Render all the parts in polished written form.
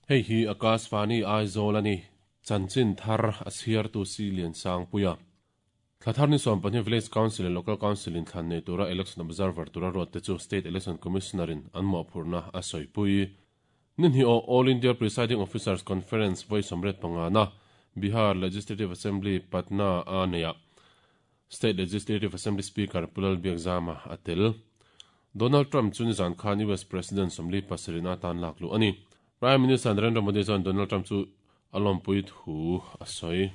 Hei hi Akashvani Aizawl a ni. Chanchin thar a chhiartu Si Liansangpuia. Thla thar ni 12 Village Council leh Local Council in thlan nei tura Election Observer tura ruat te chu State Election Commissioner in an mawhphurhna a sawipui. Ni hnih aw All India Presiding Officers Conference vawi 85 na Bihar Legislative Assembly, Patna a neihah State Legislative Assembly Speaker Pu Lalbiakzama a tel. Donald Trump chu nizan khan US President 47 na atan lak luh a ni. Prime Minister Narendra Modi chuan Donald Trump chu a lawmpui thu a sawi.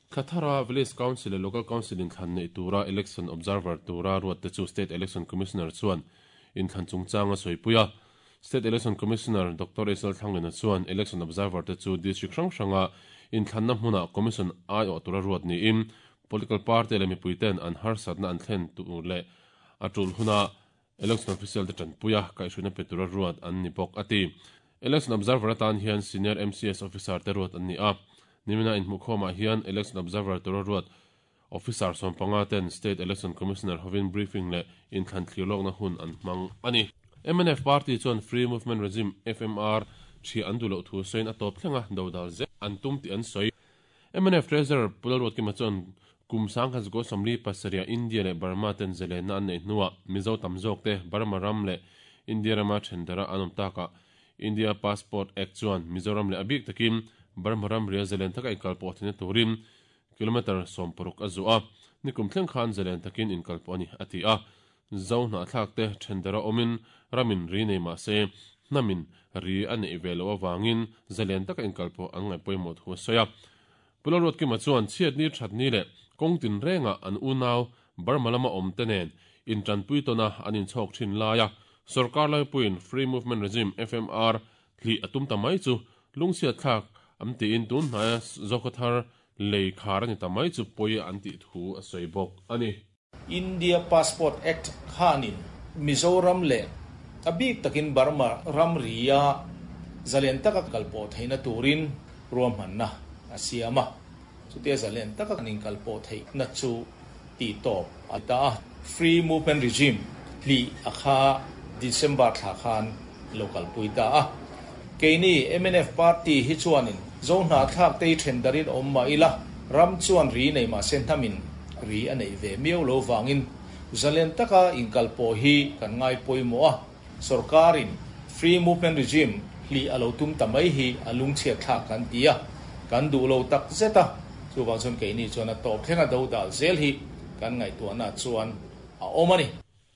Thla thara Village Council leh Local Council inthlan neih tura Election Observer tura ruatte chu State Election Commissioner chuan inthlan chungchang a sawipui a. State Election Commissioner Doctor Isal Thlanglena chuan Election Observer te chu District hrang hranga inthlanna hmunah Commission aiawh tura ruat niin Political Party leh mipuiten an harsatna an thlen tur leh a tul huna Election Official te tanpuia kaihhruina pe tura ruat an ni bawk, a ti. Election Observer atan hian Senior MCS Officer te ruat an ni a. Nimina inhmuhkhawmah hian Election Observer tura ruat Officer 15 ten State Election Commissioner hovin briefing leh inthlan thlir lawkna hun an hmang a ni. Mnf Party chuan Free Movement Regime, FMR, ṭhiah an duh loh thu sawiin a tawp thlenga dodal zel an tum tih an sawi. Mnf Treasurer Pu Lalruatkima chuan kum 1947 India leh Burma ten zalenna an neih hnuah Mizo tam zawk te Burma ram leh India rama thendara an awm takah India Passport Act chuan Mizoram leh a bik takin Burma ram ria zalen taka inkalpawh theihna turin kilometre 60 a zuah a, nikum thleng khan zalen takin inkalpawh a ni, a ti a. Zo hnahthlak te thendara awmin ramin ri nei mah se hnamin ri a neih ve loh avangin zalen taka inkalpawh an ngaih pawimawh thu a sawi a. Pu Lalruatkima chuan chhiatni thatni leh kawng tinrengah an unau Burma lama awm te nen intanpui tawna an inchhawk thin laia sorkar laipuiin Free Movement Regime, FMR, hlih a tum ta mai chu lungchhiatthlak an tiin tun hnaia Zokhawthar lei khar a ni ta mai chu pawi an tih thu a sawi bawk a ni. India Passport Act khanin Mizoram leh a bik takin Burma ramria zalen taka kalpawh theihna turin ruahmanna a siam a. Chutia zalen taka kan inkalpawh theihna chu tihtawp a ta a. Free Movement Regime hlih a kha December thla khan lo kalpui ta a. Keini mnf Party hi chuanin Zo hnahthlak te hi then darin awm mah ila, ram chuan ri nei mah se hnamin ri a neih ve miau lo vangin zalen taka inkalpawh hi kan ngai pawimawh a, sorkarin Free Movement Regime hlih a lo tum ta mai hi a lungchhiat thlak kan ti a, kan duh lo tak zet a, chuvang chuan keini chuan a tawp thlenga do dal zel hi kan ngaihtuahna chuan a awm a ni.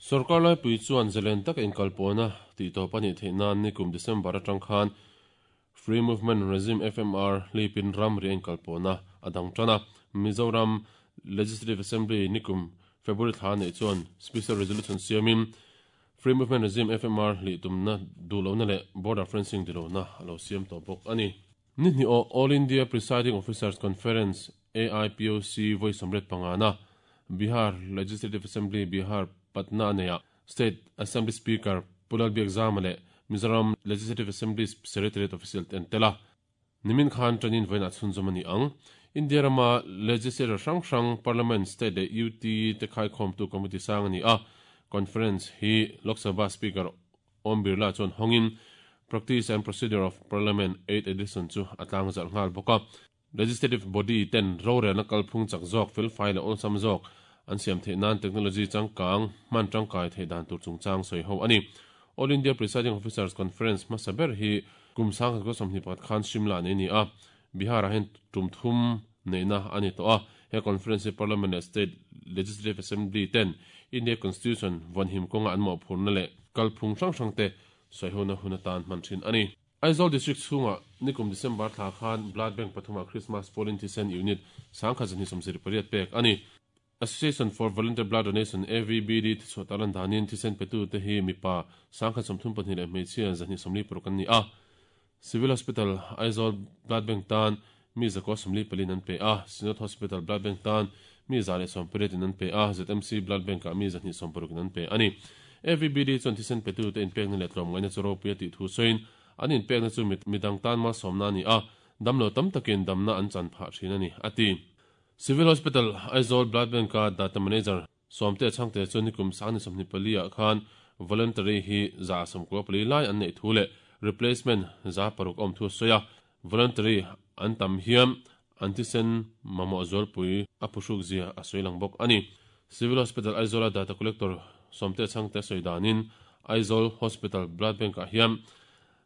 Sorkar laipui chuan zalen taka inkalpawhna tihtawp a nih theih nan nikum December atang khan Free Movement Regime, FMR, hlipin ramri a inkalpawhna a dang tan a. Mizoram Legislative Assembly nikum February thla neih chuan Special Resolution siamin Free Movement Regime, FMR, hlih tumna duhlohna leh Border Fencing dilohna a lo siam tawh bawk a ni. Ni hnih aw All India Presiding Officers Conference, AIPOC, vawi 85 na Bihar Legislative Assembly, Bihar, Patna a neihah State Assembly Speaker Pu Lalbiakzama leh Mizoram Legislative Assembly Secretariat official te an tel a. Nimin khan tanin vawiinah chhunzawm a ni ang. India rama Legislature hrang hrang, Parliament, State leh UT te khaikhawmtu committee sang a ni a. Conference hi Lok Sabha Speaker Om Birla chuan hawngin Practice and Procedure of Parliament, Eighth Edition chu a tlangzarh nghal bawk a. Legislative body ten rorelna kalphung chak zawk, felfai leh awlsam zawk an siam theih nan technology changkang hman tangkai theih dan tur chungchang sawi ho a ni. All India Presiding Officers Conference hmasa ber hi kum 1921 khan Shimla nei a ni a, Bihar-ah hian tum thum neihna a ni tawh a. He conference hi Parliament leh State Legislative Assembly ten India Constitution vawnhim kawnga an mawhphurhna leh kalphung hrang hrang te sawihona hun atan hman thin a ni. Aizawl District chhungah nikum December thla khan Blood Bank pathumah Christmas Polling Thisen Unit 1278 pek a ni. Association for Volunteer Blood Donation, AVBD, thichhuah tarlan danin thisen petute hi mipa 132 leh hmeichhia 246 an ni a. Civil Hospital, Aizawl Blood Bank tan mi 144 an pe a, Synod Hospital Blood Bank tan mi 118 in an pe a, ZMC Blood Bank-ah mi 260 in an pe a ni. AVBD chuan thisen petute inpekna leh tlawmngaihna chu ropui a tih thu sawiin, an inpekna chu midang tan malsawmna a ni a, damlo tam takin damna an chan phah thin a ni, a ti. Civil Hospital, Aizawl Blood Bank-a Data Manager Sawmte Chhangte chuan nikum 24 ah khan voluntary hi 194 lai an neih thu leh replacement 600 awm thu a sawi a, voluntary an tam hian an thisen mamawh zualpui a phuhruk zia a sawi lang bawk a ni. Civil Hospital Aizawla Data Collector Sawmte Chhangte sawi danin Aizawl Hospital Blood Bank-ah hian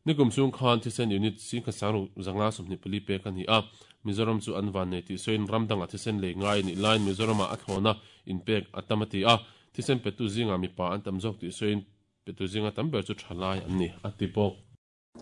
Nikum chhung khan thisen unit singkhat sangruk 524 pek a ni a, Mizoram chu an vannei tih sawiin ram dangah thisen lei ngai a nih laiin Mizoramah a thlawna inpek a tam a ti a, thisen petu zingah mipa an tam zawk tih sawiin petu zinga tam ber chu thalai an ni a ti bawk.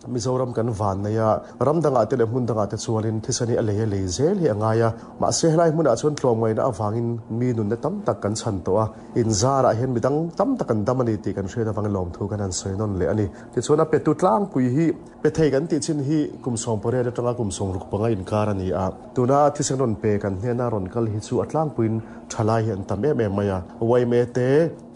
Mizoram kan vannei a, ram dangah te leh hmun dangah te chuanin thisen hi a lei a lei zel hi a ngai a, mahse helai hmunah chuan tlawmngaihna avangin mi nunna tam tak kan chhan tawh a, inzarah hian midang tam tak an dam a ni tih kan hriat avangin lawmthu kan han sawi nawn leh a ni. Tichuan a petu tlangpui hi pe thei kan tih chin hi kum 18 atanga kum 65 inkar a ni a. Tuna thisen rawn pe kan hnena rawn kal hi chu a tlangpuiin thalai hi an tam em em mai a. Yma te,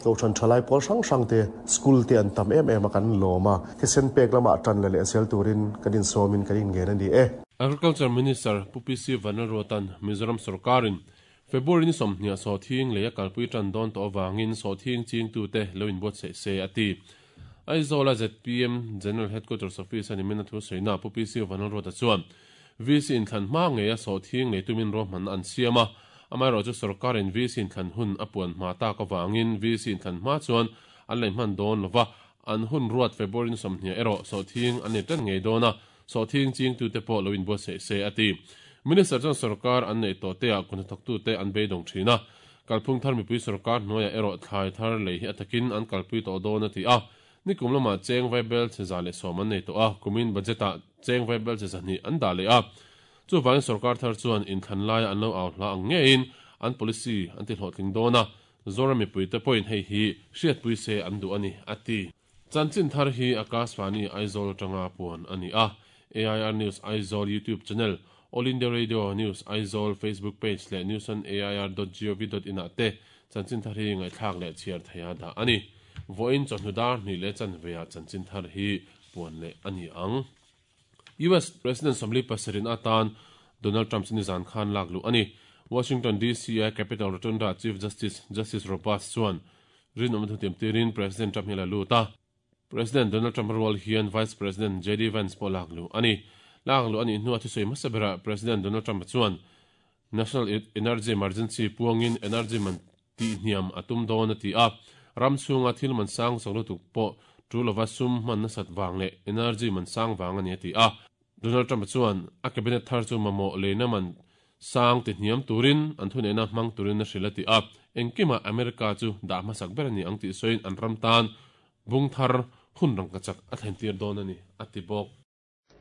Kohhran thalai pawl hrang hrang te, school te an tam em em a kan lawm a. Thisen pek lamah tan la leh zel turin kan insawmin kan inngen a ni e. Agriculture Minister Pu PC Vanlalruata'n Mizoram sawrkarin February ni 20 sawhthing lei a kalpui tan dawn tawh avangin sawhthing chingtute lo inbuatsaih se a ti. Aizawla zpm General Headquarters Office a nimin a thu sawiina Pu PC Vanlalruata chuan VC inthlan hma ngeia sawhthing lei tumin ruahmanna an siam a, amaherawhchu sawrkarin VC inthlan hun a puan hma tak avangin VC inthlan hma chuan an lei hman dawn lova, an hun ruat February ni 20 erawh sawhthing an lei tan ngei dawn a, Sawhthing chingtute pawh lo inbuatsaih se a ti. Minister chuan sawrkar an neih tawh teah kun hnathawktute an beidawng thin a. Kalphung thar mipui sawrkar hnuaiah erawh thlai thar lei hi a takin an kalpui tawh dawn a ti a. Nikum lamah cheng vaibel che 110 an nei tawh a, kumin budget-ah cheng vaibel che 200 an dah leh a. Chuvangin sawrkar thar chuan inthlan laia an lo au hla ang ngeiin an policy an ti hlawhtling dawn a, Zoram mipuite pawhin hei hi hriatpui se an duh a ni, a ti. Chanchin thar hi Akashvani Aizawl atanga puan a ni a, AIR News Aizawl YouTube channel, All India Radio News Aizawl Facebook page leh newsonair dot gov dot in ah te chanchin thar hi ngaihthlak leh chhiar theiha dah a ni. Vawiin chawhnu dar hnih leh chanveah chanchin thar hi puan leh a ni ang. US President 47 atan Donald Trump chu nizan khan lak luh a ni. Washington DC a Capitol Rotunda Chief Justice Justice Roberts chuan rinawmna thutiam tirin President Trump hi a la lut a. President Donald Trump rual hian Vice President JD Vance pawh lak luh a ni. Lak luh a nih hnuah thusawi hmasa berah President Donald Trump chuan National Energy Emergency puangin energy man tihhniam a tum dawn a ti a, ram chhunga thil man sang chak lutuk pawh tu lova sum hman nasat vang leh energy man sang vang a ni a ti a. Donald Trump chuan a cabinet thar chu mamawh leina man sang tihhniam turin an thuneihna hmang turin a hrilh a ti a, engkimah America chu dah hmasak ber a ni ang tih sawiin an ram tan bung thar hun rangkachak a thlentir dawn a ni a ti bawk.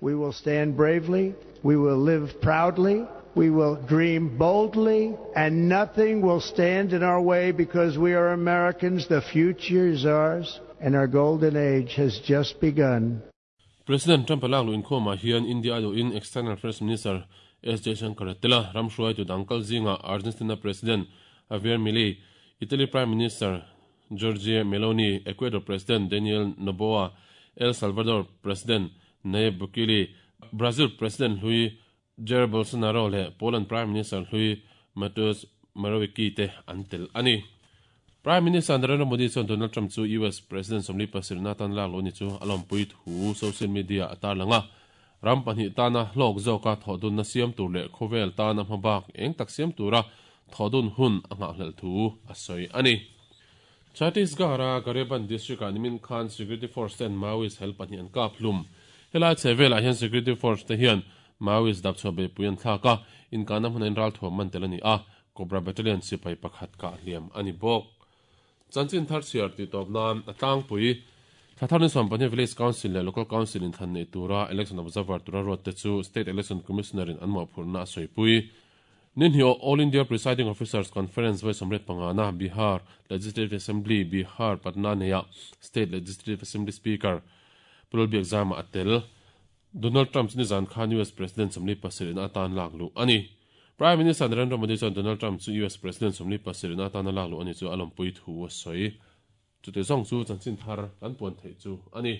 We will stand bravely, we will live proudly, we will dream boldly, and nothing will stand in our way because we are Americans. The future is ours, and our golden age has just begun. President Trump lak luh inkhawmah hian India a duhin External Affairs Minister S Jaishankar a tel a, ram hruaitu dang kal zingah Argentina President Javier Milei, Italy Prime Minister Giorgia Meloni, Ecuador President Daniel Noboa, El Salvador President Nayib Bukele, Brazil President hlui Jair Bolsonaro leh Poland Prime Minister hlui Mateusz Morawiecki te an tel a ni. Prime Minister Narendra Modi chuan Donald Trump chu US President 47 atan lak luh ni chu a lawmpui thu social media a tarlang a. Ram pahnih tana hlawk zawka thawhdunna siam tur leh khawvel tana hmabak eng tak siam tura thawhdun hun a nghahhlelh thu a sawi a ni. Chhattisgarh-a Gariaband district-ah nimin khan security force ten Maoist hel pahnih an kap hlum. Helai chhe velah hian security force te hian Maoist dapchhuah beihpui an thlak a, inkahna hmunah in ralthuam man tel a ni a, Cobra Battalion sipai pakhat kah hliam a ni bawk. Chanchin thar chhiar tih tawp nan a tlangpui. Thla thar ni 12 Village Council leh Local Council inthlan neih tura Election Observer tura ruat te chu State Election Commissioner in an mawhphurhna a sawipui. Ni hnih All India Presiding Officers Conference vawi 35 na Bihar Legislative Assembly, Bihar, Patna neiah State Legislative Assembly Speaker Pu Lalbiak Zama a tel. Donald Trump chu nizan khan US President 47 na atan lak luh a ni. Prime Minister Narendra Modi chuan Donald Trump chu US President 47 na atana lak luh a ni chu a lawmpui thu a sawi. Chute zawng chu chanchin thar kan puan theih chu a ni.